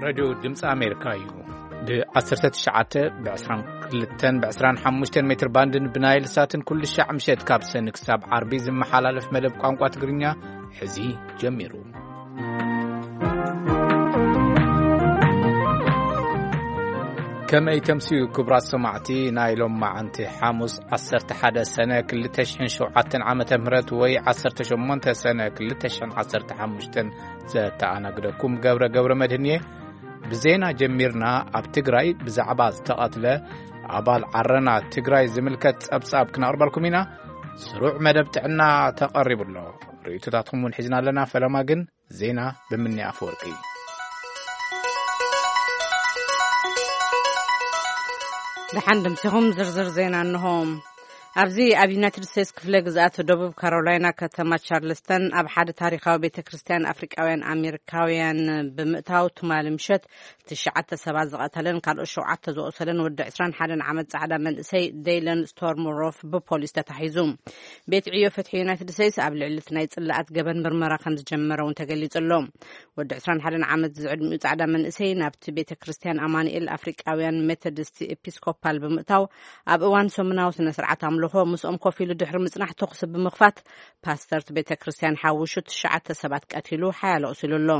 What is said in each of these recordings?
ሬድዮ ድምፂ ኣሜሪካ እዩ። ብ19፣ ብ22፣ ብ25 ሜትር ባንድን ብናይል ሳትን ኩሉ ሻዕ ምሸት ካብ ሰኒ ክሳብ ዓርቢ ዝመሓላለፍ መደብ ቋንቋ ትግርኛ ሕዚ ጀሚሩ። ከመይ ተምስዩ ክቡራት ሰማዕቲ፣ ናይ ሎም መዓንቲ ሓሙስ 11 ሰነ 2007 ዓመተ ምህረት ወይ 18 ሰነ 2015 ዘተኣናግደኩም ገብረ ገብረ መድህን እየ። ብዜና ጀሚርና ኣብ ትግራይ ብዛዕባ ዝተቐትለ ኣባል ዓረና ትግራይ ዝምልከት ጸብጻብ ክነቕርበልኩም ኢና። ስሩዕ መደብ ጥዕና ተቐሪቡ ኣሎ። ርእይቶታትኩም እውን ሒዝና ኣለና። ፈለማ ግን ዜና ብምኒ ኣፈወርቂ። ደሓን ድምሲኹም ዝርዝር ዜና እንሆ። ኣብዚ ኣብ ዩናይትድ ስቴትስ ክፍለ ግዝኣት ደቡብ ካሮላይና ከተማ ቻርልስተን ኣብ ሓደ ታሪኻዊ ቤተ ክርስቲያን ኣፍሪቃውያን ኣሜሪካውያን ብምእታው ትማሊ ምሸት ትሽዓተ ሰባት ዝቐተለን ካልኦት ሸውዓተ ዝቖሰለን ወዲ 21 ዓመት ጻዕዳ መንእሰይ ዴይለን ስቶርም ሮፍ ብፖሊስ ተታሒዙ። ቤት ዕዮ ፍትሒ ዩናይትድ ስቴትስ ኣብ ልዕሊ እቲ ናይ ጽላኣት ገበን ምርመራ ከም ዝጀመረ እውን ተገሊጹ ኣሎ። ወዲ 21 ዓመት ዝዕድሚኡ ጻዕዳ መንእሰይ ናብቲ ቤተ ክርስቲያን ኣማኑኤል ኣፍሪቃውያን ሜቶዲስት ኤፒስኮፓል ብምእታው ኣብ እዋን ሰሙናዊ ስነ ስርዓት ኣምልኾ ምስኦም ኮፍ ኢሉ ድሕሪ ምጽናሕ ተኹሲ ብምኽፋት ፓስተር እቲ ቤተ ክርስቲያን ሓዊሱ ትሽዓተ ሰባት ቀቲሉ ሓያለ ኣቑሲሉ ኣሎ።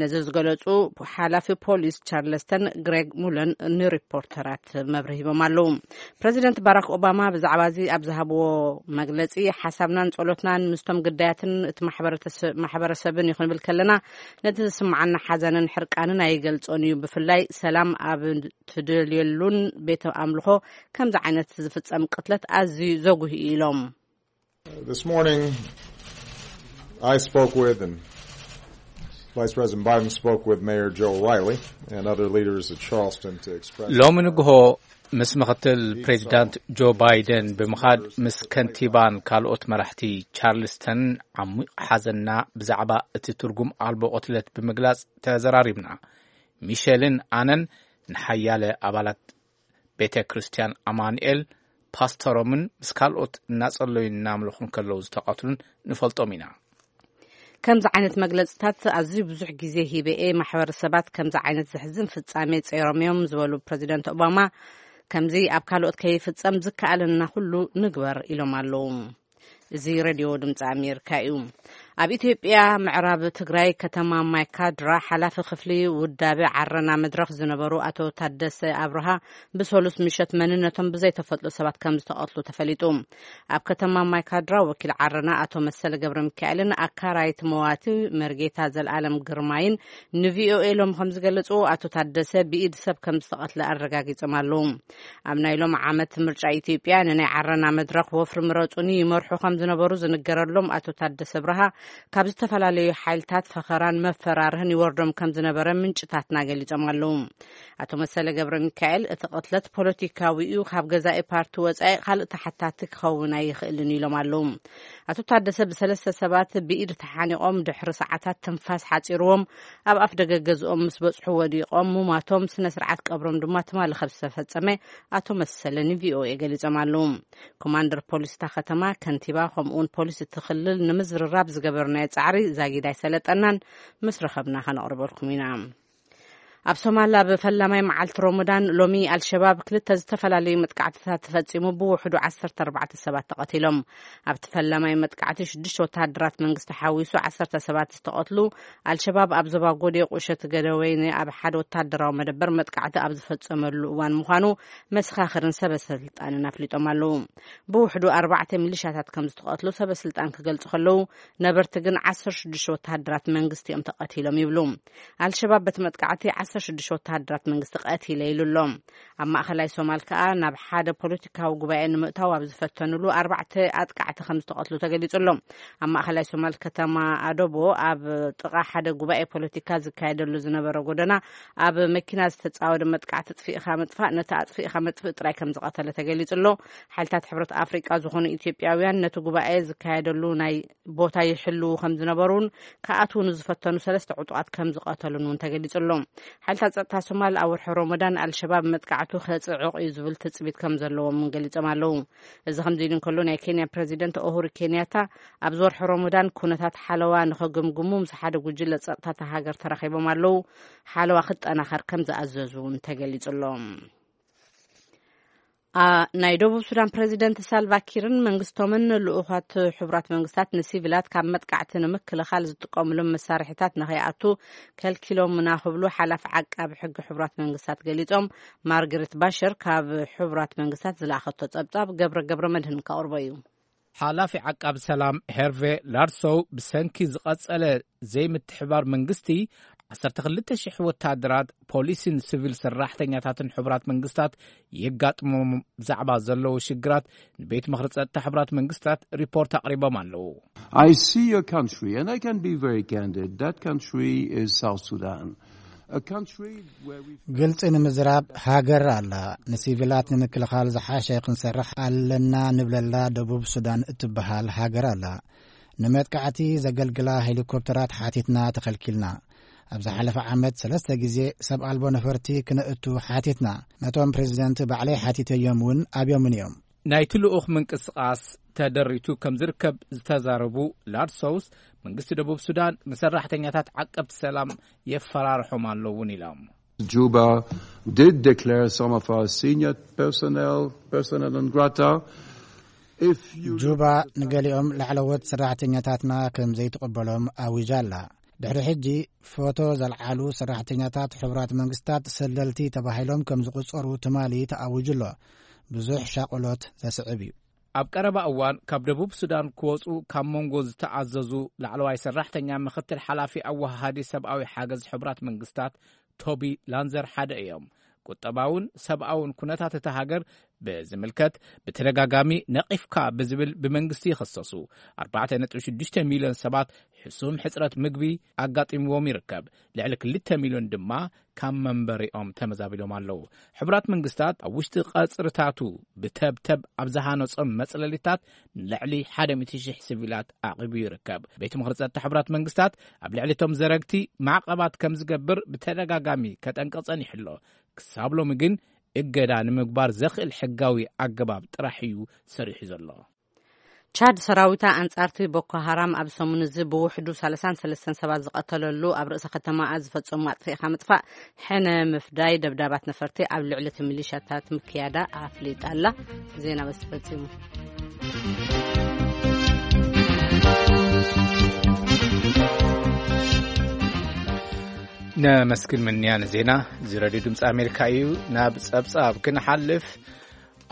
ነዚ ዝገለጹ ሓላፊ ፖሊስ ቻርለስተን ግሬግ ሙለን ንሪፖርተራት መብርሂ ሂቦም ኣለዉ። ፕረዚደንት ባራክ ኦባማ ብዛዕባ እዚ ኣብ ዝሃብዎ መግለጺ፣ ሓሳብናን ጸሎትናን ምስቶም ግዳያትን እቲ ማሕበረተሰ-፣ ማሕበረሰብን እዩ ክንብል ከለና፣ ነቲ ዝስምዓና ሓዘንን ሕርቃንን ኣይገልጾን እዩ። ብፍላይ ሰላም ኣብ ትደልየሉን ቤተ ኣምልኾ ከምዚ ዓይነት ዝፍጸም ቅትለት ኣዝዩ ዘጉሂ እዩ ኢሎም። This morning, I spoke with, and Vice President Biden spoke with Mayor Joe O'Reilly and other leaders of Charleston to express ሎሚ ንግሆ ምስ ምኽትል ፕሬዚዳንት ጆ ባይደን ብምኻድ ምስ ከንቲባን ካልኦት መራሕቲ ቻርልስተን ዓሚቕ ሓዘንና ብዛዕባ እቲ ትርጉም ኣልቦ ቅትለት ብምግላጽ ተዘራሪብና። ሚሸልን ኣነን ንሓያለ ኣባላት ቤተ ክርስቲያን ኣማኑኤል ፓስተሮምን ምስ ካልኦት እናጸለዩን እናምለኹን ከለዉ ዝተቐትሉን ንፈልጦም ኢና። ከምዚ ዓይነት መግለጽታት ኣዝዩ ብዙሕ ግዜ ሂበ እየ። ማሕበረሰባት ከምዚ ዓይነት ዘሕዝን ፍጻሜ ጸይሮም እዮም ዝበሉ ፕረዚደንት ኦባማ፣ ከምዚ ኣብ ካልኦት ከይፍጸም ዝከኣለና ኩሉ ንግበር ኢሎም ኣለዉ። እዚ ሬድዮ ድምፂ ኣሜሪካ እዩ። ኣብ ኢትዮጵያ ምዕራብ ትግራይ ከተማ ማይካድራ ሓላፊ ክፍሊ ውዳበ ዓረና መድረኽ ዝነበሩ ኣቶ ታደሰ ኣብርሃ ብሰሉስ ምሸት መንነቶም ብዘይተፈልጡ ሰባት ከም ዝተቐትሉ ተፈሊጡ። ኣብ ከተማ ማይካድራ ወኪል ዓረና ኣቶ መሰለ ገብረ ሚካኤልን ኣካራይቲ መዋቲ መርጌታ ዘልኣለም ግርማይን ንቪኦኤ ሎም ከም ዝገለጹ፣ ኣቶ ታደሰ ብኢድ ሰብ ከም ዝተቐትለ ኣረጋጊጾም ኣለዉ። ኣብ ናይ ሎም ዓመት ምርጫ ኢትዮጵያ ንናይ ዓረና መድረኽ ወፍሪ ምረጹኒ ይመርሑ ከም ዝነበሩ ዝንገረሎም ኣቶ ታደሰ ብርሃ፣ ካብ ዝተፈላለዩ ሓይልታት ፈኸራን መፈራርህን ይወርዶም ከም ዝነበረ ምንጭታትና ገሊጾም ኣለዉ። ኣቶ መሰለ ገብረ ሚካኤል፣ እቲ ቅትለት ፖለቲካዊ እዩ፣ ካብ ገዛኢ ፓርቲ ወጻኢ ካልእ ተሓታቲ ክኸውን ኣይኽእልን ኢሎም ኣለዉ። ኣቶ ታደሰ ብሰለስተ ሰባት ብኢድ ተሓኒቖም ድሕሪ ሰዓታት ትንፋስ ሓጺርዎም ኣብ ኣፍ ደገ ገዝኦም ምስ በጽሑ ወዲቖም ምሟቶም ስነ ስርዓት ቀብሮም ድማ ትማሊ ከም ዝተፈጸመ ኣቶ መሰለ ንቪኦኤ ገሊጾም ኣለዉ። ኮማንደር ፖሊስ እታ ከተማ፣ ከንቲባ ከምኡውን ፖሊስ እቲ ክልል ንምዝርራብ ዝገበርናዮ ጻዕሪ ዛጊድ ኣይሰለጠናን፣ ምስ ረኸብና ከነቕርበልኩም ኢና። ኣብ ሶማል ኣብ ፈላማይ መዓልቲ ሮሞዳን ሎሚ ኣልሸባብ ክልተ ዝተፈላለዩ መጥቃዕትታት ተፈጺሙ ብውሕዱ ዓሰርተ ኣርባዕተ ሰባት ተቐቲሎም። ኣብቲ ፈላማይ መጥቃዕቲ ሽዱሽተ ወተሃደራት መንግስቲ ሓዊሱ ዓሰርተ ሰባት ዝተቐትሉ፣ ኣልሸባብ ኣብ ዞባ ጎዴ ቁሸት ገደወይነ ኣብ ሓደ ወተሃደራዊ መደበር መጥቃዕቲ ኣብ ዝፈጸመሉ እዋን ምዃኑ መሰኻኽርን ሰበ ስልጣንን ኣፍሊጦም ኣለዉ። ብውሕዱ ኣርባዕተ ሚሊሻታት ከም ዝተቐትሉ ሰበ ስልጣን ክገልጹ ከለዉ፣ ነበርቲ ግን ዓሰርተ ሽዱሽተ ወተሃደራት መንግስቲ እዮም ተቐቲሎም ይብሉ። ኣልሸባብ በቲ መጥቃዕቲ ዓሰርተ ሽዱሽተ ወተሃደራት መንግስቲ ቀቲለ ኢሉ ኣሎ። ኣብ ማእኸላይ ሶማል ከኣ ናብ ሓደ ፖለቲካዊ ጉባኤ ንምእታው ኣብ ዝፈተኑሉ ኣርባዕተ ኣጥቃዕቲ ከም ዝተቐትሉ ተገሊጹ ኣሎ። ኣብ ማእኸላይ ሶማል ከተማ ኣዶቦ ኣብ ጥቓ ሓደ ጉባኤ ፖለቲካ ዝካየደሉ ዝነበረ ጎደና ኣብ መኪና ዝተጻወደ መጥቃዕቲ ኣጥፊእኻ ምጥፋእ ነቲ ኣጥፊእኻ መጥፍእ ጥራይ ከም ዝቐተለ ተገሊጹ ኣሎ። ሓይልታት ሕብረት ኣፍሪቃ ዝኾኑ ኢትዮጵያውያን ነቲ ጉባኤ ዝካየደሉ ናይ ቦታ ይሕልዉ ከም ዝነበሩን ክኣትዉ ንዝፈተኑ ሰለስተ ዕጡቓት ከም ዝቐተሉን እውን ተገሊጹ ኣሎ። ሓይልታት ጸጥታ ሶማል ኣብ ወርሒ ሮሞዳን ኣልሸባብ መጥቃዕቱ ከጽዕቕ እዩ ዝብል ትጽቢት ከም ዘለዎም እውን ገሊጾም ኣለዉ። እዚ ከምዚ ኢሉ እንከሎ፣ ናይ ኬንያ ፕረዚደንት ኡሁሩ ኬንያታ ኣብዚ ወርሒ ሮሞዳን ኩነታት ሓለዋ ንኸገምግሙ ምስ ሓደ ጉጅለ ጸጥታ እታ ሃገር ተራኺቦም ኣለዉ። ሓለዋ ክጠናኸር ከም ዝኣዘዙ እውን ተገሊጹ ኣሎ። አ፣ ናይ ደቡብ ሱዳን ፕረዚደንት ሳልቫ ኪርን መንግስቶምን ልኡኻት ሕቡራት መንግስታት ንሲቪላት ካብ መጥቃዕቲ ንምክልኻል ዝጥቀሙሎም መሳርሒታት ንኸይኣቱ ከልኪሎምና ክብሉ ሓላፊ ዓቃቢ ሕጊ ሕቡራት መንግስታት ገሊጾም። ማርግሪት ባሸር ካብ ሕቡራት መንግስታት ዝለኣኸቶ ጸብጻብ ገብረ ገብረ መድህን ከቕርቦ እዩ። ሓላፊ ዓቃቢ ሰላም ሄርቬ ላርሶው ብሰንኪ ዝቐጸለ ዘይምትሕባር መንግስቲ፣ ዓሰርተ ክልተ ሽሕ ወታደራት፣ ፖሊስን ሲቪል ሰራሕተኛታትን ሕቡራት መንግስታት የጋጥሞም ብዛዕባ ዘለዉ ሽግራት ንቤት ምኽሪ ጸጥታ ሕቡራት መንግስታት ሪፖርት ኣቕሪቦም ኣለዉ። I see a country, and I can be very candid, that country is South Sudan. A country where we ግልጺ ንምዝራብ፣ ሃገር ኣላ። ንሲቪላት ንምክልኻል ዝሓሸ ክንሰርሕ ኣለና ንብለላ ደቡብ ሱዳን እትበሃል ሃገር ኣላ። ንመጥቃዕቲ ዘገልግላ ሄሊኮፕተራት ሓቲትና፣ ተኸልኪልና። ኣብ ዝሓለፈ ዓመት ሰለስተ ግዜ ሰብ ኣልቦ ነፈርቲ ክነእቱ ሓቲትና። ነቶም ፕሬዚደንት ባዕለይ ሓቲተዮም እውን ኣብዮምን እዮም። ናይቲ ልኡኽ ምንቅስቓስ ተደሪቱ ከም ዝርከብ ዝተዛረቡ ላድሶውስ፣ መንግስቲ ደቡብ ሱዳን ንሰራሕተኛታት ዓቀብቲ ሰላም የፈራርሖም ኣሎ እውን ኢሎም። Juba did declare some of our senior personnel persona non grata. If you ጁባ ንገሊኦም ላዕለዎት ሰራሕተኛታትና ከም ዘይትቕበሎም ኣዊጃ ኣላ። ድሕሪ ሕጂ ፎቶ ዘልዓሉ ሰራሕተኛታት ሕቡራት መንግስታት ሰለልቲ ተባሂሎም ከም ዝቑጸሩ ትማሊ ተኣዊጁ ኣሎ። ብዙሕ ሻቕሎት ዘስዕብ እዩ። ኣብ ቀረባ እዋን ካብ ደቡብ ሱዳን ክወጹ ካብ መንጎ ዝተኣዘዙ ላዕለዋይ ሰራሕተኛ ምኽትል ሓላፊ ኣወሃሃዲ ሰብኣዊ ሓገዝ ሕቡራት መንግስታት ቶቢ ላንዘር ሓደ እዮም። ቁጠባውን ሰብኣውን ኩነታት እታ ሃገር ብዝምልከት ብተደጋጋሚ ነቒፍካ ብዝብል ብመንግስቲ ይኸሰሱ። ኣርባዕተ ነጥቢ ሽዱሽተ ሚልዮን ሰባት ሕሱም ሕጽረት ምግቢ ኣጋጢምዎም ይርከብ። ልዕሊ ክልተ ሚልዮን ድማ ካብ መንበሪኦም ተመዛቢሎም ኣለዉ። ሕቡራት መንግስታት ኣብ ውሽጢ ቀጽርታቱ ብተብተብ ኣብ ዝሃነጾም መጽለሊታት ንልዕሊ ሓደ ሚእቲ ሽሕ ሲቪላት ኣቕርቡ ይርከብ። ቤት ምኽሪ ጸጥታ ሕቡራት መንግስታት ኣብ ልዕሊ እቶም ዘረግቲ ማዕቐባት ከም ዝገብር ብተደጋጋሚ ከጠንቅቕ ጸኒሑ ኣሎ። ክሳብ ሎሚ ግን እገዳ ንምግባር ዘኽእል ሕጋዊ ኣገባብ ጥራሕ እዩ ሰሪሑ ዘሎ። ቻድ ሰራዊታ ኣንጻርቲ ቦኮ ሃራም ኣብ ሰሙን እዚ ብውሕዱ ሰላሳን ሰለስተን ሰባት ዝቐተለሉ ኣብ ርእሰ ከተማኣ ዝፈጸሙ ኣጥፊእካ ምጥፋእ ሕነ ምፍዳይ ደብዳባት ነፈርቲ ኣብ ልዕሊ እቲ ሚሊሻታት ምክያዳ ኣፍሊጣ ኣላ። ዜና በዚ ተፈጺሙ። ነመስግን ምንያ ንዜና። እዚ ረድዮ ድምፂ ኣሜሪካ እዩ። ናብ ጸብጻብ ክንሓልፍ፣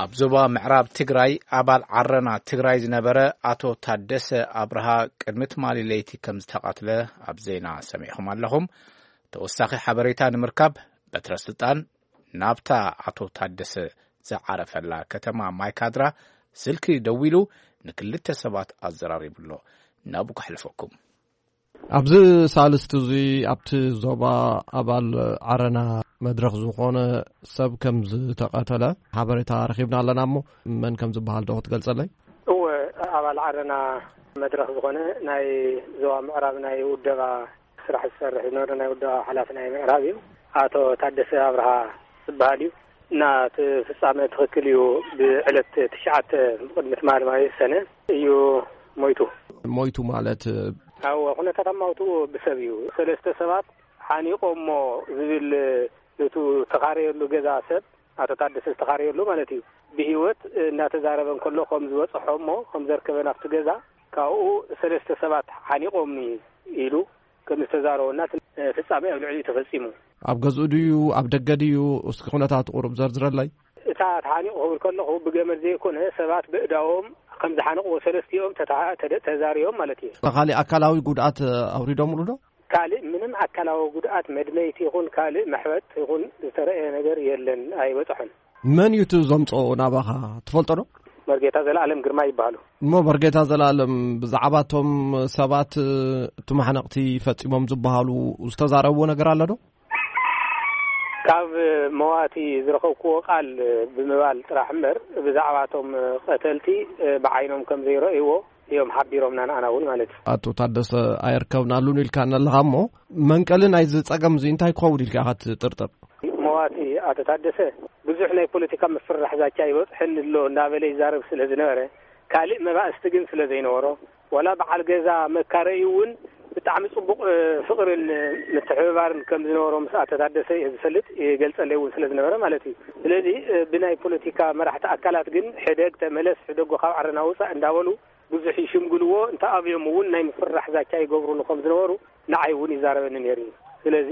ኣብ ዞባ ምዕራብ ትግራይ ኣባል ዓረና ትግራይ ዝነበረ ኣቶ ታደሰ ኣብርሃ ቅድሚ ትማሊ ለይቲ ከም ዝተቐትለ ኣብ ዜና ሰሚዕኹም ኣለኹም። ተወሳኺ ሓበሬታ ንምርካብ በትረ ስልጣን ናብታ ኣቶ ታደሰ ዝዓረፈላ ከተማ ማይካድራ ስልኪ ደዊሉ ንክልተ ሰባት ኣዘራሪቡ ኣሎ። ናብኡ ከሕልፈኩም። ኣብዚ ሳልስቲ እዚ ኣብቲ ዞባ ኣባል ዓረና መድረኽ ዝኾነ ሰብ ከም ዝተቐተለ ሓበሬታ ረኺብና ኣለና። እሞ መን ከም ዝበሃል ዶ ክትገልጸለይ? እወ፣ ኣባል ዓረና መድረኽ ዝኾነ ናይ ዞባ ምዕራብ ናይ ውደባ ስራሕ ዝሰርሕ ዝነበረ ናይ ውደባ ሓላፊ ናይ ምዕራብ እዩ። ኣቶ ታደሰ ኣብርሃ ዝበሃል እዩ። እና እቲ ፍጻመ ትኽክል እዩ። ብዕለት ትሽዓተ ብቕድሚ ትማሊ ማለት ሰነ እዩ ሞይቱ። ሞይቱ ማለት? ኣዎ፣ ኩነታት ኣማውትኡ ብሰብ እዩ። ሰለስተ ሰባት ሓኒቖሞ ዝብል፣ ነቱ ተኻረየሉ ገዛ ሰብ፣ ኣቶ ታደሰ ዝተኻረየሉ ማለት እዩ፣ ብህይወት እናተዛረበ እንከሎ ከም ዝበጽሖ እሞ ከም ዘርከበ ናብቲ ገዛ፣ ካብኡ ሰለስተ ሰባት ሓኒቖምኒ ኢሉ ከም ዝተዛረቦ እና እቲ ፍጻመ ኣብ ልዕሊኡ ተፈጺሙ። ኣብ ገዝኡ ድዩ ኣብ ደገ ድዩ? እስኪ ኩነታቱ ቁሩብ ዘርዝረለይ። እታ ተሓኒቑ ክብል ከለኹ ብገመድ ዘይኮነ ሰባት ብእዳዎም ከም ዝሓነቕዎ ሰለስቲኦም ተታ-፣ ተደ-፣ ተዛሪቦም ማለት እዩ። ካሊእ ኣካላዊ ጉድኣት ኣውሪዶምሉ ዶ? ካልእ ምንም ኣካላዊ ጉድኣት መድመይቲ ይኹን ካልእ መሕበጥ ይኹን ዝተረእየ ነገር የለን፣ ኣይበጽሖን። መን እዩ እቲ ዘምጽኦ ናባኻ ትፈልጦ ዶ? መርጌታ ዘለኣለም ግርማ ይበሃሉ። እሞ መርጌታ ዘለኣለም ብዛዕባ እቶም ሰባት እቲ ማሕነቕቲ ፈጺሞም ዝበሃሉ ዝተዛረብዎ ነገር ኣሎ ዶ? ካብ መዋቲ ዝረኸብክዎ ቃል ብምባል ጥራሕ እምበር ብዛዕባ እቶም ቀተልቲ ብዓይኖም ከም ዘይረእይዎ እዮም ሓቢሮምና፣ ንኣና እውን ማለት እዩ። ኣቶ ታደሰ ኣየርከብናሉን ኢልካ ኣለኻ እሞ፣ መንቀሊ ናይዚ ጸገም እዚ እንታይ ክኸውን ኢልካ ኢኻ ትጥርጥር? መዋቲ ኣቶ ታደሰ ብዙሕ ናይ ፖለቲካ ምፍርራሕ ዛቻ ይበጽሐኒ ኣሎ እናበለ ይዛረብ ስለ ዝነበረ፣ ካልእ መባእስቲ ግን ስለ ዘይነበሮ፣ ዋላ በዓል ገዛ መካረዩ እውን ብጣዕሚ ጽቡቕ፣ እ፣ ፍቕርን ምትሕብባርን ከም ዝነበሮ ምስ ኣቶ ታደሰ እየ ዝፈልጥ፣ ይገልጸለይ እውን ስለ ዝነበረ ማለት እዩ። ስለዚ፣ እ፣ ብናይ ፖለቲካ መራሕቲ ኣካላት ግን ሕደግ ተመለስ፣ ሕደጎ ካብ ዓረና ውጻእ እንዳበሉ ብዙሕ ይሽምግልዎ፣ እንተ ኣብዮም እውን ናይ ምፍራሕ ዛቻ ይገብሩሉ ከም ዝነበሩ ንዓይ እውን ይዛረበኒ ነይሩ እዩ። ስለዚ፣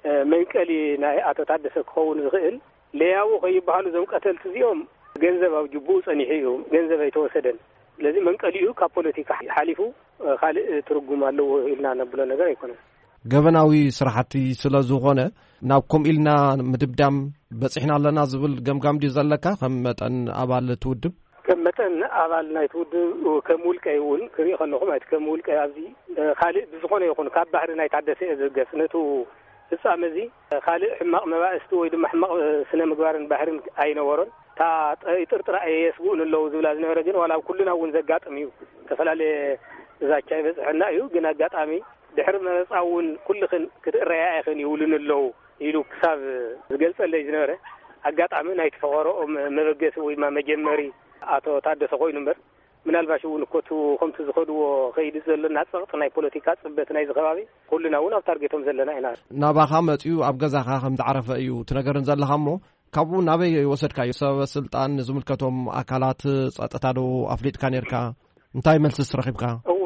እ፣ መንቀሊ ናይ ኣቶ ታደሰ ክኸውን ዝኽእል ለያቡ ከይበሃሉ እዞም ቀተልቲ እዚኦም ገንዘብ ኣብ ጅቡኡ ጸኒሑ እዩ፣ ገንዘብ ኣይተወሰደን። ስለዚ መንቀሊኡ ካብ ፖለቲካ ሓሊፉ፣ እ፣ ካልእ ትርጉም ኣለዎ ኢልና ነብሎ ነገር ኣይኮነን። ገበናዊ ስራሕቲ ስለ ዝኾነ ናብ ከምኡ ኢልና ምድምዳም በጺሕና ኣለና ዝብል ገምጋም ድዩ ዘለካ ከም መጠን ኣባል እቲ ውድብ? ከም መጠን ኣባል ናይቲ ውድብ፣ ከም ውልቀይ እውን ክርኢ ከለኹ ማለት ከም ውልቀይ ኣብዚ፣ እ፣ ካልእ ብዝኾነ ይኹን ካብ ባህሪ ናይ ታደሰ እየ ዝብገስ። ነቱ ፍጻመ እዚ ካልእ ሕማቕ መባእስቲ ወይ ድማ ሕማቕ ስነ ምግባርን ባህርን ኣይነበሮን። እታ ጠ-፣ ጥርጥራ እየ የስግኡን ኣለዉ ዝብላ ዝነበረ ግን ዋላ ኣብ ኩልና እውን ዘጋጥም እዩ። ዝተፈላለየ ዛቻ ይበጽሐና እዩ። ግን ኣጋጣሚ ድሕሪ መረጻ እውን ኩልኽን ክትእረያ ኢኽን ይብሉን ኣለዉ ኢሉ ክሳብ ዝገልጸለይ ዝነበረ ኣጋጣሚ ናይ ተፈቐረኦም መበገሲ ወይ ድማ መጀመሪ ኣቶ ታደሰ ኮይኑ እምበር ምናልባሽ እውን እኮ እቲ ከምቲ ዝኸድዎ ከይዲ ዘሎና ጸቕጢ ናይ ፖለቲካ ጽበት ናይዚ ከባቢ ኩልና እውን ኣብ ታርጌቶም ዘለና ኢና። ናባኻ መጺኡ ኣብ ገዛኻ ከም ዝዓረፈ እዩ ትነገርን ዘለኻ እሞ፣ ካብኡ ናበይ ወሰድካዮ? ሰበ ስልጣን፣ ንዝምልከቶም ኣካላት ጸጥታ ዶ ኣፍሊጥካ ነርካ? እንታይ መልስስ ረኺብካ? እወ፣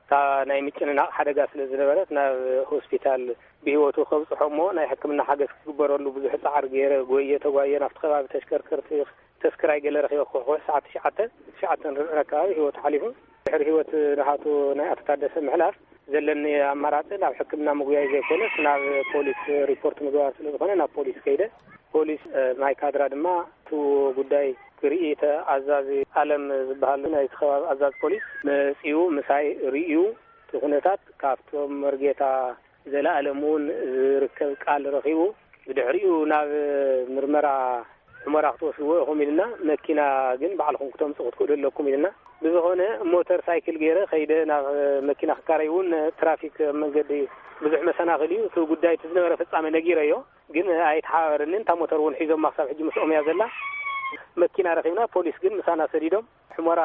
እታ ናይ ምጭንናቕ ሓደጋ ስለ ዝነበረት ናብ ሆስፒታል ብህይወቱ ከብጽሖ እሞ ናይ ሕክምና ሓገዝ ክግበረሉ ብዙሕ ጻዕሪ ገይረ፣ ጎየ ተጓየ፣ ናብቲ ከባቢ ተሽከርከርቲ ተስክራይ ገለ ረኺበ፣ ክሕኩሕ ሰዓት ትሽዓተ፣ ትሽዓተ ርብዕን ኣካባቢ ህይወቱ ሓሊፉ። ድሕሪ ህይወት ናሃቱ ናይ ኣቶ ታደሰ ምሕላፍ ዘለኒ ኣማራጺ ናብ ሕክምና ምጉያይ ዘይኮነስ ናብ ፖሊስ ሪፖርት ምግባር ስለ ዝኾነ ናብ ፖሊስ ከይደ። ፖሊስ፣ እ፣ ማይ ካድራ ድማ እቲ ጉዳይ ክርኢ እቲ ኣዛዚ ኣለም ዝበሃል ናይቲ ከባቢ ኣዛዚ ፖሊስ መጺኡ ምሳይ ርእዩ እቲ ኩነታት ካብቶም መርጌታ ዘለኣለም እውን ዝርከብ ቃል ረኺቡ፣ ብድሕሪኡ ናብ ምርመራ ሑመራ ክትወስድዎ ኢኹም ኢልና፣ መኪና ግን ባዕልኹም ክተምጽኡ ክትክእሉ ኣለኩም ኢልና። ብዝኾነ ሞተር ሳይክል ገይረ ከይደ ናብ መኪና ክካረይ እውን ትራፊክ ኣብ መንገዲ ብዙሕ መሰናኽል እዩ። እቲ ጉዳይ እቲ ዝነበረ ፍጻመ ነጊረዮ፣ ግን ኣይተሓባበረንን። እታ ሞተር እውን ሒዞማ ክሳብ ሕጂ ምስኦም እያ ዘላ። መኪና ረኺብና፣ ፖሊስ ግን ምሳና ሰዲዶም ሑመራ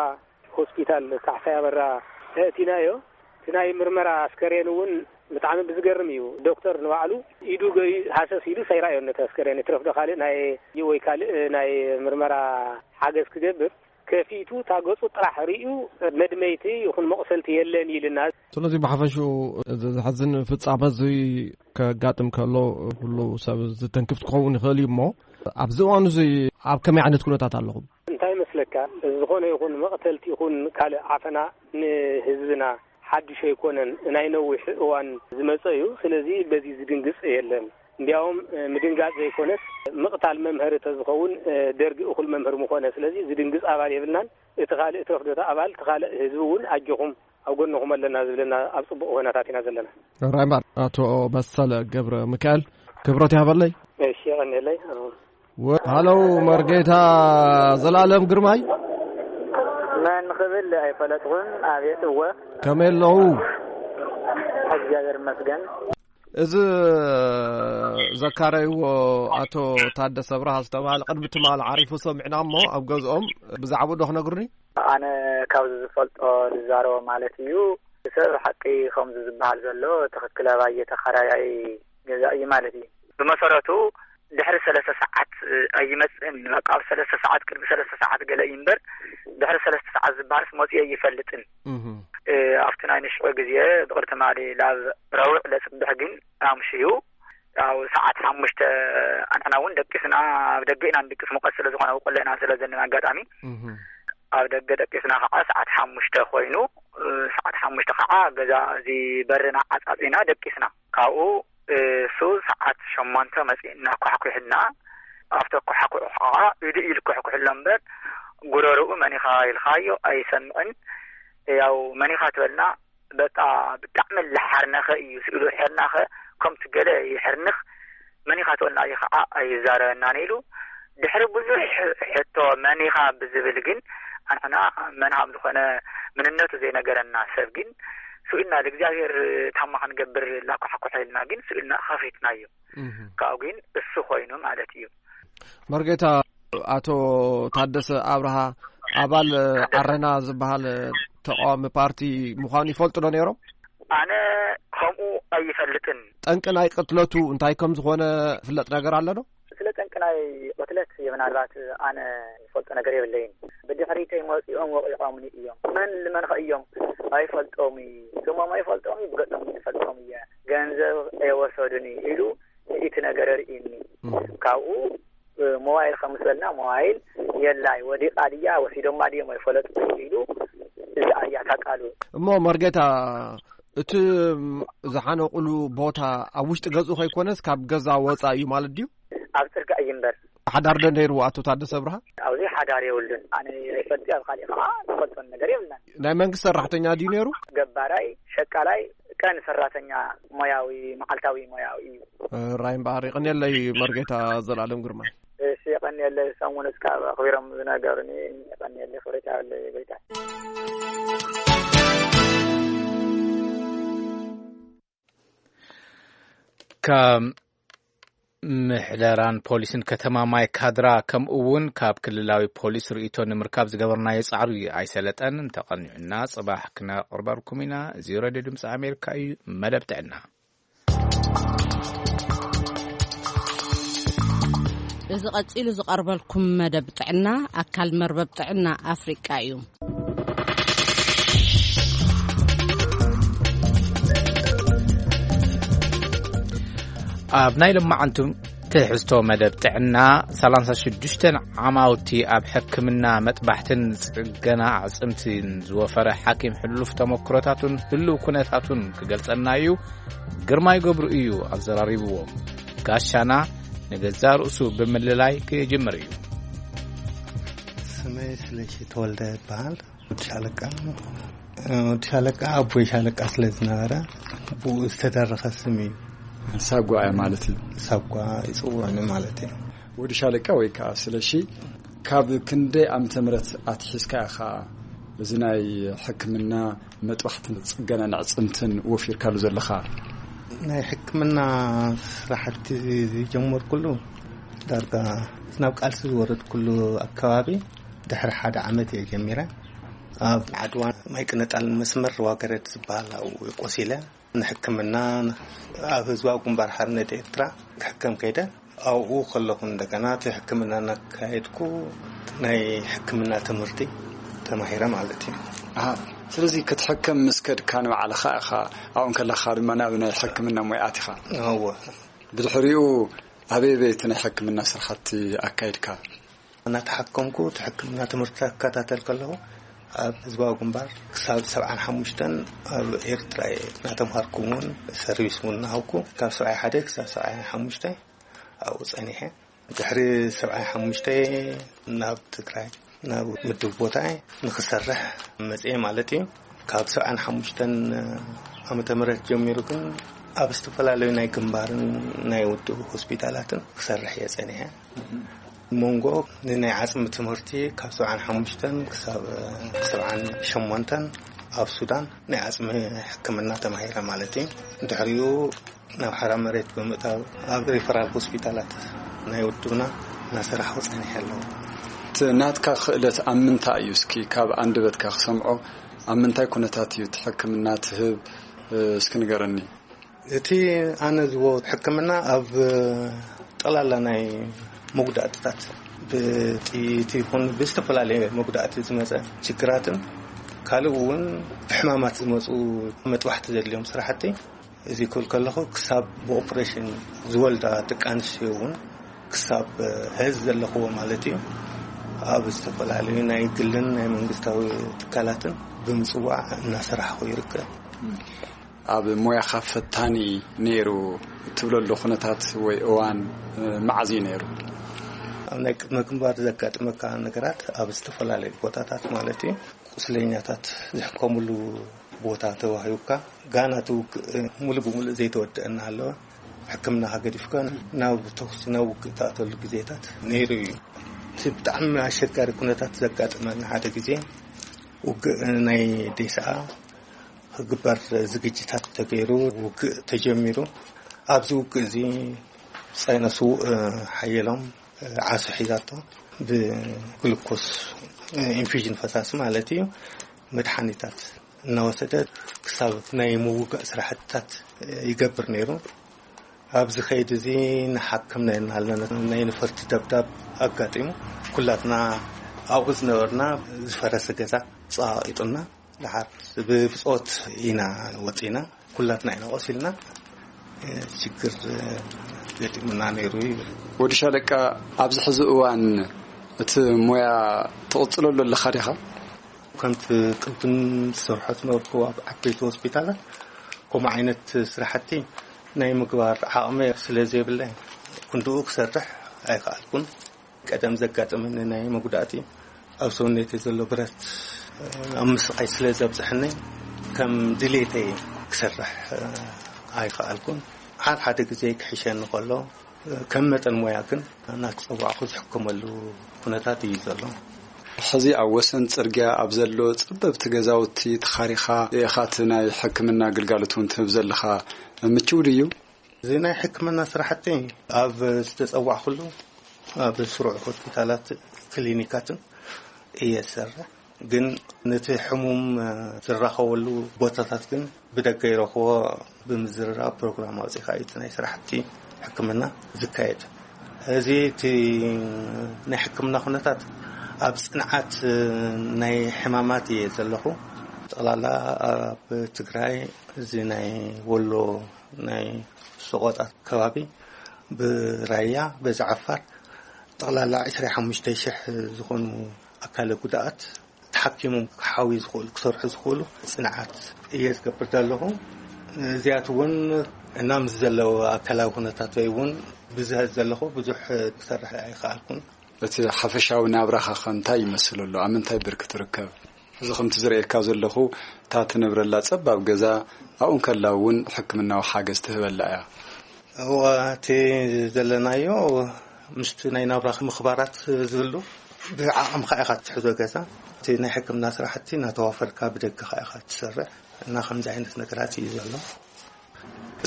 ሆስፒታል ካሕሳይ ኣበራ ኣእቲናዮ። እቲ ናይ ምርመራ ኣስከሬን እውን ብጣዕሚ ብዝገርም እዩ። ዶክተር ንባዕሉ ኢዱ ገዩ ሃሰስ ኢሉ ሰይራዮ ነቲ ኣስከሬን። ይትረፍ ዶ ካልእ ናይ ወይ ካልእ ናይ ምርመራ ሓገዝ ክገብር ከፊቱ እታ ገጹ ጥራሕ ርእዩ መድመይቲ ይኹን መቑሰልቲ የለን ኢልና። ስለዚ ብሓፈሽኡ እዚ ዘሕዝን ፍጻመ እዚ ከጋጥም ከሎ ኩሉ ሰብ ዝተንክፍ ክኸውን ይኽእል እዩ እሞ ኣብዚ እዋን እዚ ኣብ ከመይ ዓይነት ኩነታት ኣለኹም? እንታይ ይመስለካ፣ ዝኾነ ይኹን መቕተልቲ ይኹን ካልእ ዓፈና ንህዝብና ሓድሽ ኣይኮነን፣ ናይ ነዊሕ እዋን ዝመጸ እዩ። ስለዚ በዚ ዝድንግጽ የለን። እንዲያውም፣ እ፣ ምድንጋጽ ዘይኮነስ ምቕታል መምሀሪ ተዝኸውን፣ እ፣ ደርጊ እኹል መምህር ምኾነ። ስለዚ ዝድንግጽ ኣባል የብልናን። እቲ ካልእ ትረፍ ዶ እቲ ኣባል፣ እቲ ካልእ ህዝቢ እውን ኣጆኹም ኣብ ጎንኹም ኣለና ዝብለና ኣብ ጽቡቕ ኩነታት ኢና ዘለና። ራይ እምበር ኣቶ መሰለ ገብረ ሚካኤል ክብረት ይሃበለይ። እሺ፣ የቐንየለይ። ወ-፣ ሃለው መርጌታ ዘላለም ግርማይ። መን ክብል ኣይፈለጥኩን። ኣቤት፣ እወ። ከመይ ኣለዉ? እግዚኣብሔር ይመስገን። እዚ ዘካረይዎ ኣቶ ታደሰ ብርሃ ዝተባሃለ ቅድሚ ትማሊ ዓሪፉ ሰሚዕና እሞ ኣብ ገዝኦም ብዛዕባኡ ዶ ክነግሩኒ? ኣነ ካብዚ ዝፈልጦ ዝዛረቦ ማለት እዩ። ሰብ ሓቂ ከምዚ ዝበሃል ዘሎ ትኽክል ኣባየ ተኻራያይ ገዛ እዩ ማለት እዩ። ብመሰረቱ ድሕሪ ሰለስተ ሰዓት ኣይመጽእን። በቃ ኣብ ሰለስተ ሰዓት፣ ቅድሚ ሰለስተ ሰዓት ገለ እዩ እምበር ድሕሪ ሰለስተ ሰዓት ዝበሃልስ መጽኡ ኣይፈልጥን። እህ። እ፣ ኣብቲ ናይ ንሽዑ ግዜ ብቕድቲ ማሊ ላብ ረቡዕ ለጽብሕ ግን ኣምሽዩ፣ ያው ሰዓት ሓሙሽተ ኣንሕና እውን ደቂስና፣ ኣብ ደገ ኢና ንድቅስ፣ ሙቐት ስለ ዝኾነ፣ ኣብ ቆሎ ኢና ስለ ዘለና ኣጋጣሚ። እህ። ኣብ ደገ ደቂስና ከዓ ሰዓት ሓሙሽተ ኮይኑ፣ እ፣ ሰዓት ሓሙሽተ ከዓ ገዛ እዚ በርና ዓጻጺና ደቂስና። ካብኡ፣ እ፣ እሱ ሰዓት ሸሞንተ መጺኡ እናኳሕኩሕና፣ ኣብቲ ኣኳሕኩሑ ከዓ ኢዱ ኢሉ ክኩሕኩሕሎ እምበር፣ ጉረርኡ መን ኢኻ ኢልካዮ ኣይሰምዕን። ያው መን ኢኻ ትበልና፣ በቃ ብጣዕሚ ልሓርነኸ እዩ ስኢሉ። ሕርናኸ ከምቲ ገለ ይሕርንኽ፣ መን ኢኻ ትበልና እዩ ከዓ ኣይዛረበናን ኢሉ። ድሕሪ ብዙሕ ሕቶ መን ኢኻ ብዝብል ግን ኣንሕና መን ከም ዝኾነ ምንነቱ ዘይነገረና ሰብ ግን ስኢልና፣ ንእግዚኣብሔር ታማ ክንገብር ላኳሕኩሕ ኢልና ግን ስኢልና ከፊትናዮ። ካብኡ ግን እሱ ኮይኑ ማለት እዩ። መርጌታ፣ ኣቶ ታደሰ ኣብርሃ ኣባል ዓረና ዝበሃል ተቃዋሚ ፓርቲ ምዃኑ ይፈልጡ ዶ ነይሮም? ኣነ ከምኡ ኣይፈልጥን። ጠንቂ ናይ ቅትለቱ እንታይ ከም ዝኾነ ዝፍለጥ ነገር ኣሎ ዶ? ስለ ጠንቂ ናይ ቅትለት ምናልባት ኣነ ይፈልጦ ነገር የብለይን። ብድሕሪተይ መፂኦም ወቂቖምኒ እዮም። መን ልመንኸ እዮም? ኣይፈልጦም እዩ። ስሞም ኣይፈልጦም እዩ፣ ብገጾም ይፈልጦም እየ። ገንዘብ ኣይወሰዱን እዩ ኢሉ እቲ ነገር ርኢኒ። ካብኡ ሞባይል ከም ዝበልና ሞባይል የላይ፣ ወዲቓ ድያ ወሲዶማ ድዮም ኣይፈለጥኩ ኢሉ እዚ ኣያ ታቃሉ። እሞ መርጌታ፣ እቲ ዝሓነቁሉ ቦታ ኣብ ውሽጢ ገዝኡ ከይኮነስ ካብ ገዛ ወፃ እዩ ማለት ድዩ? ኣብ ጽርጋ እዩ እምበር። ሓዳር ዶ ነይሩ ኣቶ ታደሰ ኣብርሃ? ኣብዚ ሓዳር የብሉን። ኣነ ይፈልጥ፣ ኣብ ካሊእ ከዓ ዝፈልጦን ነገር የብልናን። ናይ መንግስቲ ሰራሕተኛ ድዩ ነይሩ? ገባራይ፣ ሸቃላይ፣ ቀን ሰራተኛ፣ ሞያዊ፣ መዓልታዊ ሞያዊ እዩ። ራይም ባህሪ። ይቐንየለይ መርጌታ ዘላለም ግርማይ። እሺ፣ የቐንየለይ። ሰሙን እስካብ ኣኽቢሮም ዝነገሩኒ፣ የቐንየለይ። ክብረት ያለይ ጎይታ። ካብ ምሕደራን ፖሊስን ከተማ ማይ ካድራ፣ ከምኡ እውን ካብ ክልላዊ ፖሊስ ርእይቶ ንምርካብ ዝገበርናዮ ጻዕሪ ኣይሰለጠን። እንተቐኒዑና፣ ጽባሕ ክነቕርበልኩም ኢና። እዚ ሬድዮ ድምፂ ኣሜሪካ እዩ። መደብ ጥዕና። እዚ ቀጺሉ ዝቐርበልኩም መደብ ጥዕና፣ ኣካል መርበብ ጥዕና ኣፍሪቃ እዩ። ኣብ ናይ ለማዓንቱ ትሕዝቶ መደብ ጥዕና፣ ሰላሳ ሽዱሽተ ዓማውቲ ኣብ ሕክምና መጥባሕትን ጽገና ኣዕጽምትን ዝወፈረ ሓኪም፣ ሕሉፍ ተመክሮታቱን ህሉው ኩነታቱን ክገልጸና እዩ። ግርማይ ገብሩ እዩ ኣዘራሪብዎም። ጋሻና ንገዛ ርእሱ ብምልላይ ክጅምር እዩ። ስመይ ስለሺ ተወልደ ይበሃል። ወዲ ሻለቃ፣ ወዲ ሻለቃ ኣቦይ ሻለቃ ስለ ዝነበረ፣ ብኡ ዝተደረኸ ስም እዩ። ሳጓ ማለት እዩ። ሳጓ ይጽውዑኒ ማለት እዩ። ወዲ ሻለቃ ወይ ከዓ ስለሺ፣ ካብ ክንደይ ዓመተ ምህረት ኣትሒዝካ ኢኻ እዚ ናይ ሕክምና መጥባሕትን ጽገናን ኣዕጽምትን ወፊርካሉ ዘለኻ? ናይ ሕክምና ስራሕቲ ዝጀመርኩሉ ዳርጋ ናብ ቃልሲ ዝወረድኩሉ ኣከባቢ ድሕሪ ሓደ ዓመት እየ ጀሚረ። ኣብ ዓድዋ ማይ ቅነጣል መስመር ዋገረድ ዝበሃል ኣብኡ ቆሲለ ንሕክምና ኣብ ህዝባዊ ግንባር ሓርነት ኤርትራ ክሕከም ከይደ። ኣብኡ ከለኹ እንደገና እቲ ሕክምና እናካየድኩ ናይ ሕክምና ትምህርቲ ተማሂረ ማለት እዩ። ኣሃ፣ ስለዚ ክትሕከም ምስ ከድካ ንባዕልኻ ኢኻ፣ ኣብኡ ከለኻ ድማ ናብ ናይ ሕክምና ሞያ ኣቲኻ? እወ። ብድሕሪኡ ኣበይ ኣበይ እቲ ናይ ሕክምና ስራሕቲ ኣካይድካ? እናተሓከምኩ እቲ ሕክምና ትምህርቲ ክከታተል ከለኹ ኣብ ህዝባዊ ግንባር ክሳብ ሰብዓን ሓሙሽተን ኣብ ኤርትራ እየ እናተምሃርኩ እውን ሰርቪስ እውን እናሃብኩ ካብ ሰብዓይ ሓደ ክሳብ ሰብዓይ ሓሙሽተ ኣብኡ ጸኒሐ። ድሕሪ ሰብዓይ ሓሙሽተ ናብ ትግራይ ናብ ምድብ ቦታ ንክሰርሕ መጽኤ ማለት እዩ። ካብ ሰብዓን ሓሙሽተን ዓመተ ምህረት ጀሚሩ ግን ኣብ ዝተፈላለዩ ናይ ግንባርን ናይ ውድብ ሆስፒታላትን ክሰርሕ እየ ጸኒሐ። መንጎ ንናይ ዓጽሚ ትምህርቲ ካብ ሰብዓን ሓሙሽተን ክሳብ ሰብዓን ሸሞንተን ኣብ ሱዳን ናይ ዓጽሚ ሕክምና ተማሂረ ማለት እዩ። ድሕሪኡ ናብ ሓራ መሬት ብምእታው ኣብ ሪፈራል ሆስፒታላት ናይ ውድብና እናሰራሕኩ ጸኒሐ ኣለኹ። እቲ ናትካ ክእለት ኣብ ምንታይ እዩ? እስኪ ካብ ኣንደበትካ ክሰምዖ፣ ኣብ ምንታይ ኩነታት እዩ እቲ ሕክምና ትህብ? እስኪ ንገረኒ። እቲ ኣነ ዝቦ ሕክምና ኣብ ጠላላ ናይ መጉዳእትታት፣ ብጥይት ይኹን ብዝተፈላለየ መጉዳእቲ ዝመጸ ችግራትን ካልእ እውን ብሕማማት ዝመጹ መጥባሕቲ ዘድልዮም ስራሕቲ፣ እዚ ክብል ከለኹ ክሳብ ብኦፕሬሽን ዝወልዳ ደቂ ኣንስትዮ እውን ክሳብ ሕዚ ዘለኽዎ ማለት እዩ፣ ኣብ ዝተፈላለዩ ናይ ግልን ናይ መንግስታዊ ትካላትን ብምጽዋዕ እናሰራሕኹ ይርከብ። ኣብ ሞያኻ ፈታኒ ነይሩ እትብለሉ ኩነታት ወይ እዋን፣ እ፣ መዓዝ እዩ ነይሩ? ኣብ ናይ ቅድመ ግንባር ዘጋጥመካ ነገራት ኣብ ዝተፈላለዩ ቦታታት ማለት እዩ፣ ቁስለኛታት ዝሕከሙሉ ቦታ ተዋሂቡካ፣ ጋና እቲ ውግእ ሙሉእ ብሙሉእ ዘይተወደአ እናሃለወ፣ ሕክምናኻ ገዲፍካ ናብ ተኹሲ፣ ናብ ውግእ ትኣተሉ ግዜታት ነይሩ እዩ። እቲ ብጣዕሚ ኣሸጋሪ ኩነታት ዘጋጠመና ሓደ ግዜ ውግእ ናይ ዴስኣ ክግበር ዝግጅታት ተገይሩ ውግእ ተጀሚሩ። ኣብዚ ውግእ እዚ ሳይነስ ሓየሎም ዓሶ ሒዛቶ ብግሉኮስ ኢንፊዥን ፈሳሲ ማለት እዩ መድሓኒታት እናወሰደ ክሳብ ናይ ምውጋእ ስራሕትታት ይገብር ነይሩ። ኣብዚ ከይዲ እዚ ንሓክም ነርና ኣለና። ናይ ነፈርቲ ደብዳብ ኣጋጢሙ ኩላትና ኣብኡ ዝነበርና ዝፈረሰ ገዛ ጸቓቒጡና ደሓር ብብጾት ኢና ወጺና። ኩላትና ኢና ቆሲልና። ሽግር ገጢሙና ነይሩ እዩ። ወዲ ሻለቃ፣ ኣብዚ ሕዚ እዋን እቲ ሞያ ትቕጽለሉ ኣለኻ ዲኻ? ከምቲ ቅድም ዝሰርሖ ዝነበርኩ ኣብ ዓበይቲ ሆስፒታላት ከምኡ ዓይነት ስራሕቲ ናይ ምግባር ዓቕሚ ስለ ዘይብለይ ክንድኡ ክሰርሕ ኣይከኣልኩን። ቀደም ዘጋጠመኒ ናይ መጉዳእቲ ኣብ ሰውነተይ ዘሎ ብረት ኣብ ምስቓይ ስለ ዘብፅሐኒ ከም ድሌተይ ክሰርሕ ኣይከኣልኩን። ሓደ ሓደ ግዜ ክሕሸኒ ከሎ ከም መጠን ሞያ ግን እናተፀዋዕኩ ዝሕከመሉ ኩነታት እዩ ዘሎ። ሕዚ ኣብ ወሰን ጽርግያ ኣብ ዘሎ ጸበብቲ ገዛውቲ ተኻሪኻ ኢኻ እቲ ናይ ሕክምና ግልጋሎት እውን ትህብ ዘለኻ። ምችው ድዩ? እዚ ናይ ሕክምና ስራሕቲ ኣብ ዝተጸዋዕኩሉ ኣብ ስሩዕ ሆስፒታላት ክሊኒካትን እየ ዝሰርሕ። ግን ነቲ ሕሙም ዝራኸበሉ ቦታታት ግን ብደገ ይረኽቦ። ብምዝርራብ ፕሮግራም ኣውጺኻ እዩ እቲ ናይ ስራሕቲ ሕክምና ዝካየድ። እዚ እቲ ናይ ሕክምና ኩነታት ኣብ ጽንዓት ናይ ሕማማት እየ ዘለኹ። ጠቕላላ ኣብ ትግራይ እዚ ናይ ወሎ ናይ ሰቆጣ ከባቢ ብራያ በዚ ዓፋር ጠቕላላ ዕስራ ሓሙሽተ ሽሕ ዝኾኑ ኣካለ ጉዳኣት ተሓኪሞም ክሓዊ ዝኽእሉ ክሰርሑ ዝኽእሉ ጽንዓት እየ ዝገብር ዘለኹ። እዚኣት እውን እና ምስ ዘለዉ ኣካላዊ ኩነታተይ እውን ብዝሀት ዘለኹ ብዙሕ ክሰርሕ ኣይከኣልኩን። እቲ ሓፈሻዊ ናብራኻ ኸ እንታይ ይመስል ኣሎ? ኣብ ምንታይ ብርኪ ትርከብ? እዚ ከምቲ ዝርእየካ ዘለኹ እታ ትነብረላ ጸባብ ገዛ ኣብኡ እንከላ እውን ሕክምናዊ ሓገዝ ትህበላ እያ። እዋ እቲ ዘለናዮ ምስቲ ናይ ናብራ ምኽባራት ዝህሉ ብዓቕምኻ ኢኻ ትሕዞ ገዛ። እቲ ናይ ሕክምና ስራሕቲ እናተዋፈርካ ብደገኻ ኢኻ ትሰርሕ እና ከምዚ ዓይነት ነገራት እዩ ዘሎ።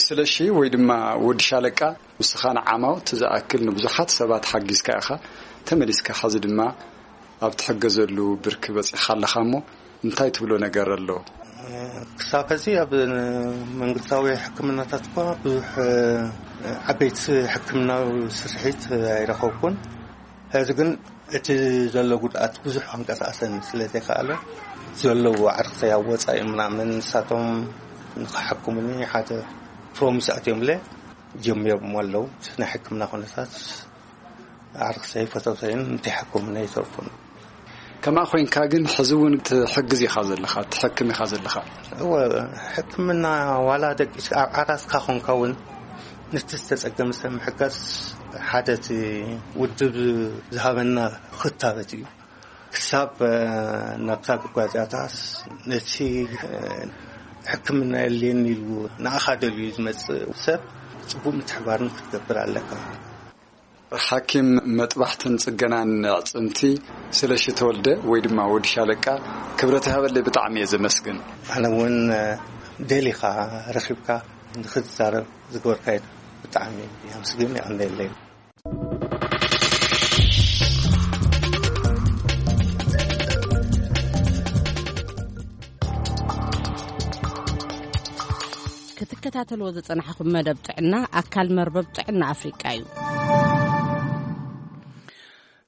ስለሺ ወይ ድማ ወዲ ሻለቃ፣ ንስኻ ንዓማውቲ ዝኣክል ንብዙሓት ሰባት ሓጊዝካ ኢኻ። ተመሊስካ ሐዚ ድማ ኣብ ትሕገዘሉ ብርኪ በጺሕኻ ኣለኻ እሞ እንታይ ትብሎ ነገር ኣሎ? ክሳብ ሕዚ ኣብ መንግስታዊ ሕክምናታት እኳ ብዙሕ ዓበይቲ ሕክምናዊ ስርሒት ኣይረኸብኩን። ሕዚ ግን እቲ ዘሎ ጉድኣት ብዙሕ ክንቀሳቀሰን ስለ ዘይከኣለ ዘለዉ ዓርክተይ ኣብ ወፃኢ ምናምን ንሳቶም ንክሓክሙኒ ሓደ ፕሮሚስ ኣትዮምለ ጀሚሮም ኣለዉ። ናይ ሕክምና ኩነታት ዓርክተይ ፈተውተይን እንተይሓክሙኒ ኣይተርፉን። ከማ ኮይንካ ግን ሕዚ እውን ትሕግዝ ኢኻ ዘለኻ፣ ትሕክም ኢኻ ዘለኻ። እወ፣ ሕክምና ዋላ ደቂስካ ኣብ ዓራስካ ኮንካ እውን ነቲ ዝተጸገመ ሰብ ምሕጋዝ ሓደ እቲ ውድብ ዝሃበና ክታበት እዩ። ክሳብ ናብታ ጉጓዝያታስ ነቲ ሕክምና የድልየኒ ኢሉ ንኣኻ ደልዩ ዝመጽእ ሰብ ጽቡቅ ምትሕባርን ክትገብር ኣለካ። ሓኪም መጥባሕትን ጽገናን ኣዕጽምቲ ስለሺ ተወልደ ወይ ድማ ወዲ ሻለቃ፣ ክብረት ይሃበለይ፣ ብጣዕሚ እየ ዘመስግን። ኣነ እውን ደሊኻ ረኺብካ ንክትዛረብ ዝገበርካዮ ብጣዕሚ የመስግን፣ የቐንየለይ። ክትከታተልዎ ዝጸናሕኹም መደብ ጥዕና ኣካል መርበብ ጥዕና ኣፍሪቃ እዩ።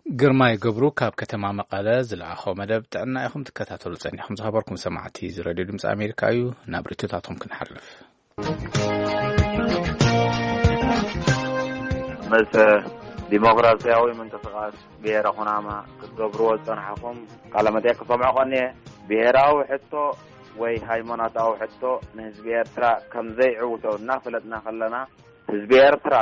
ግርማይ ገብሩ ካብ ከተማ መቐለ ዝለኣኾ መደብ ጥዕና ኢኹም ትከታተሉ ጸኒሕኩም። ዝኸበርኩም ሰማዕቲ እዚ ሬድዮ ድምፂ ኣሜሪካ እዩ። ናብ ርእይቶታቶም ክንሓልፍ። ምስ ዲሞክራሲያዊ ምንቅስቃስ ብሄረ ኩናማ ክትገብርዎ ዝጸናሕኹም ቃለ መጠይቅ ክሰምዖ ቀንየ። ብሄራዊ ሕቶ ወይ ሃይማኖታዊ ሕቶ ንህዝቢ ኤርትራ ከም ዘይዕውቶ እናፈለጥና ከለና፣ ህዝቢ ኤርትራ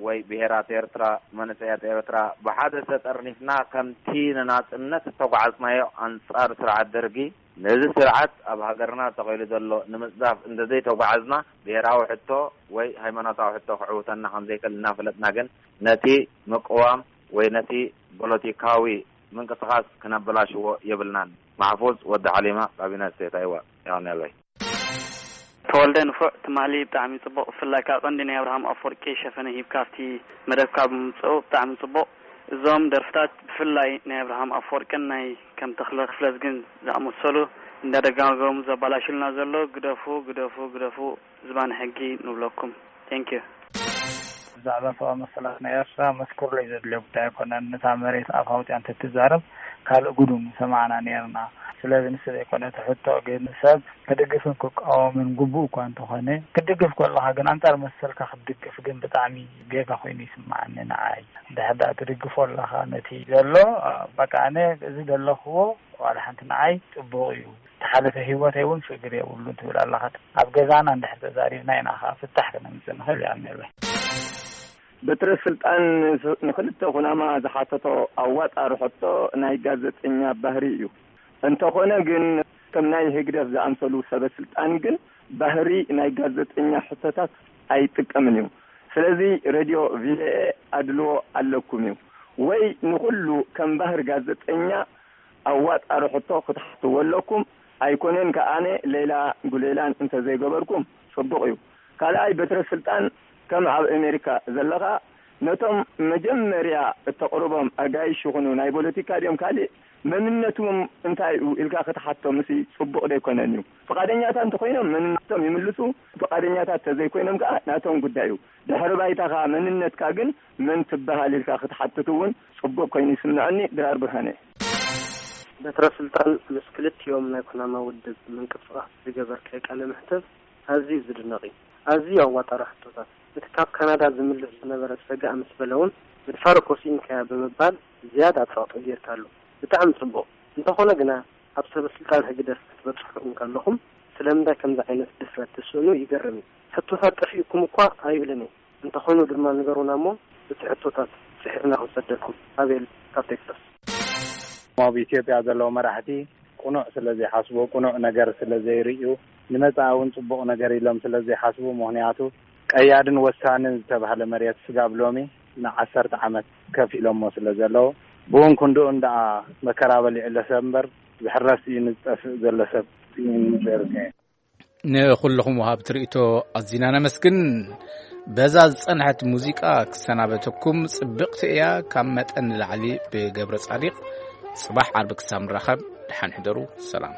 ወይ ብሄራት ኤርትራ፣ መንእሰያት ኤርትራ ብሓደ ተጠርኒፍና ከምቲ ንናጽነት እተጓዓዝናዮ ኣንጻር ስርዓት ደርጊ፣ ነዚ ስርዓት ኣብ ሃገርና ተኺሉ ዘሎ ንምጽዳፍ እንተዘይተጓዓዝና፣ ብሄራዊ ሕቶ ወይ ሃይማኖታዊ ሕቶ ክዕውተና ከም ዘይክእል እናፈለጥና ግን ነቲ ምቅዋም ወይ ነቲ ፖለቲካዊ ምንቅስቃስ ክነበላሽዎ የብልናን። ማሕፉዝ ወዲ ሓሊማ ካብ ዩናይትድ ስቴትስ ኣይዋ። የቐንየለይ። ተወልደ ንፉዕ ትማሊ ብጣዕሚ ጽቡቕ፣ ብፍላይ ካብ ቀንዲ ናይ ኣብርሃም ኣፈወርቂ ሸፈነ ሂብካ ኣብቲ መደብካ ብምምጽኡ ብጣዕሚ ጽቡቕ። እዞም ደርፍታት ብፍላይ ናይ ኣብርሃም ኣፈወርቅን ናይ ከም ተኽለ ክፍለዝግን ዝኣመሰሉ እንዳደጋገሙ ዘባላሽልና ዘሎ ግደፉ፣ ግደፉ፣ ግደፉ ዝባን ሕጊ ንብለኩም። Thank you። ብዛዕባ ሰብኣዊ መሰላት ናይ ኤርትራ መስክሩለይ ዘድልዮ ጉዳይ ኣይኮነን። ነታ መሬት ኣፍ ኣውጺኣ እንተትዛረብ ካልእ ጉዱ ምሰማዕና ነይርና። ስለዚ ንሱ ዘይኮነ እቲ ሕቶ፣ ግን ሰብ ክድግፍን ክቃወምን ግቡእ እኳ እንተኾነ፣ ክትድግፍ ከለኻ ግን ኣንጻር መሰልካ ክትድግፍ ግን ብጣዕሚ ጌጋ ኮይኑ ይስምዓኒ ንዓይ። እንድሕር ደኣ ትድግፎ ኣለኻ ነቲ ዘሎ፣ በቃ ኣነ እዚ ዘለኽዎ ዋላ ሓንቲ ንዓይ ጽቡቕ እዩ። ዝሓለፈ ህይወተይ እውን ሽግር የብሉን ትብል ኣለኻ። ኣብ ገዛና እንድሕር ተዛሪብና ኢና ኸዓ ፍታሕ ክነምጽእ ንኽእል። የቐንየለይ። በትረ ስልጣን ንክልተ ኩናማ ዝሓተቶ ኣዋጣሪ ሕቶ ናይ ጋዜጠኛ ባህሪ እዩ። እንተኾነ ግን ከም ናይ ህግደፍ ዝኣምሰሉ ሰበ ስልጣን ግን ባህሪ ናይ ጋዜጠኛ ሕቶታት ኣይጥቀምን እዩ። ስለዚ ሬድዮ ቪኦኤ ኣድልዎ ኣለኩም እዩ። ወይ ንኹሉ ከም ባህሪ ጋዜጠኛ ኣዋጣሪ ሕቶ ክትሓትዎ ኣለኩም። ኣይኮነን ከኣነ ሌላ ጉሌላን እንተዘይገበርኩም ጽቡቕ እዩ። ካልኣይ በትረ ስልጣን ከም ኣብ ኣሜሪካ ዘለኻ ነቶም መጀመርያ እተቕርቦም ኣጋይሽ ይኹኑ ናይ ፖለቲካ ድዮም ካልእ መንነቶም እንታይ እዩ ኢልካ ክትሓቶም እሲ ጽቡቕ ደይኮነን እዩ። ፍቓደኛታት እንተኾይኖም መንነቶም ይምልሱ፣ ፍቓደኛታት ተዘይኮይኖም ከኣ ናቶም ጉዳይ እዩ። ድሕሪ ባይታኻ መንነትካ ግን መን ትበሃል ኢልካ ክትሓትት እውን ጽቡቕ ኮይኑ ይስምዐኒ። ድራር ብርሃነ። በትረ ስልጣን ምስ ክልቲኦም ናይ ኩናማ ውድብ ምንቅስቓስ ዝገበርካዮ ቃለ መሕትት ኣዝዩ ዝድነቕ እዩ። ኣዝዩ ኣዋጣሪ ሕቶታት። እቲ ካብ ካናዳ ዝምልስ ዝነበረ ጸጋእ ምስ በለ እውን፣ "መድፋር እኮ ስኢንካያ" ብምባል ዝያዳ ጸቕጢ ጌርካሉ። ብጣዕሚ ጽቡቕ። እንተኾነ ግና፣ ኣብ ሰበ ስልጣን ህግደፍ ክትበጽሑ እንከለኹም፣ ስለምንታይ ከምዚ ዓይነት ድፍረት ትስእኑ ይገርም እዩ። ሕቶታት ጠፊኡኩም እኳ ኣይብልን እየ። እንተኾይኑ ድማ ንገሩና እሞ፣ እቲ ሕቶታት ጽሒፍና ክንሰደልኩም። ኣቤል ካብ ቴክሳስ። ኣብ ኢትዮጵያ ዘለዉ መራሕቲ ቅኑዕ ስለ ዘይሓስቡ፣ ቅኑዕ ነገር ስለ ዘይርእዩ፣ ንመጻኢ እውን ጽቡቕ ነገር ኢሎም ስለ ዘይሓስቡ፣ ምኽንያቱ ቀያድን ወሳንን ዝተባህለ መሬት ስጋብ ሎሚ ንዓሰርተ ዓመት ከፊሎሞ ስለ ዘለዉ፣ ብውን ክንድኡን ደኣ መከራ በሊዑ ኣሎ ሰብ እምበር፣ ዝሕረስ እዩ ንዝጠፍእ ዘሎ ሰብ እዩ ንዘርገ። ንኹልኹም ወሃብቲ ርእይቶ ኣዚና ነመስግን። በዛ ዝጸንሐት ሙዚቃ ክሰናበተኩም። ጽብቕቲ እያ፣ ካብ መጠን ንላዕሊ ብገብረ ጻዲቕ። ጽባሕ ዓርቢ ክሳብ ንራኸብ፣ ደሓን ሕደሩ። ሰላም።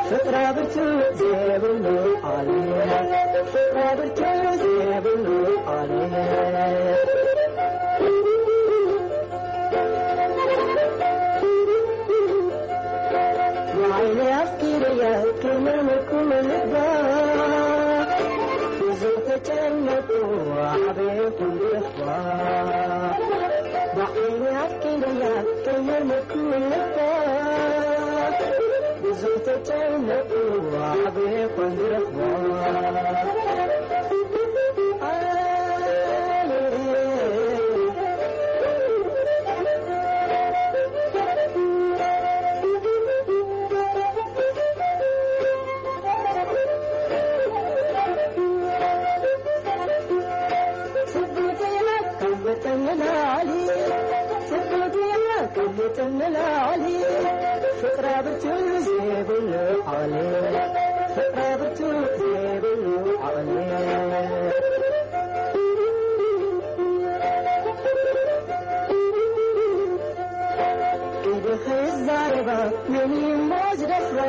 ፍቅራ ብርቱ ዘይብሉ ዓሊ፣ ፍቅራ ብርቱ ዘይብሉ ዓሊ። ንዓይኒ ኣፍቂረያ ክመመኩ ልባ፣ ብዙ ተጨነቁ ዓበይኩም ብርባ። ንዓይኒ ኣፍቂረያ ከየመኩ ልባ፣ ብዙ ተጨነቁ ዓበይኩም ብርባ። ክዛረባ መን እሞ ዝደፍራ?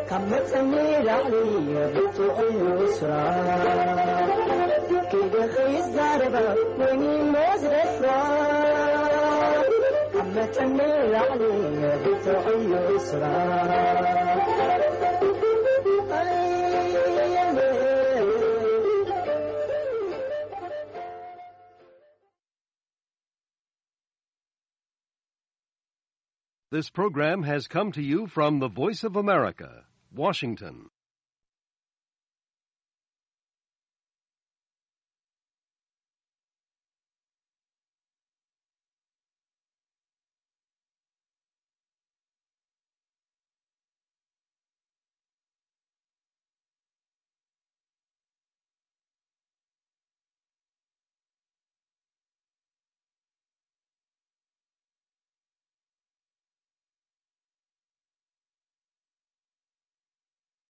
ካብ መጠን ንላዕሊ ብርቱዕ እዩ ስራ። ክደኺ ይዛረባ መን እሞ ዝደፍራ? ካብ መጠን ንላዕሊ ብርቱዕ እዩ ስራ። This program has come to you from the Voice of America, Washington.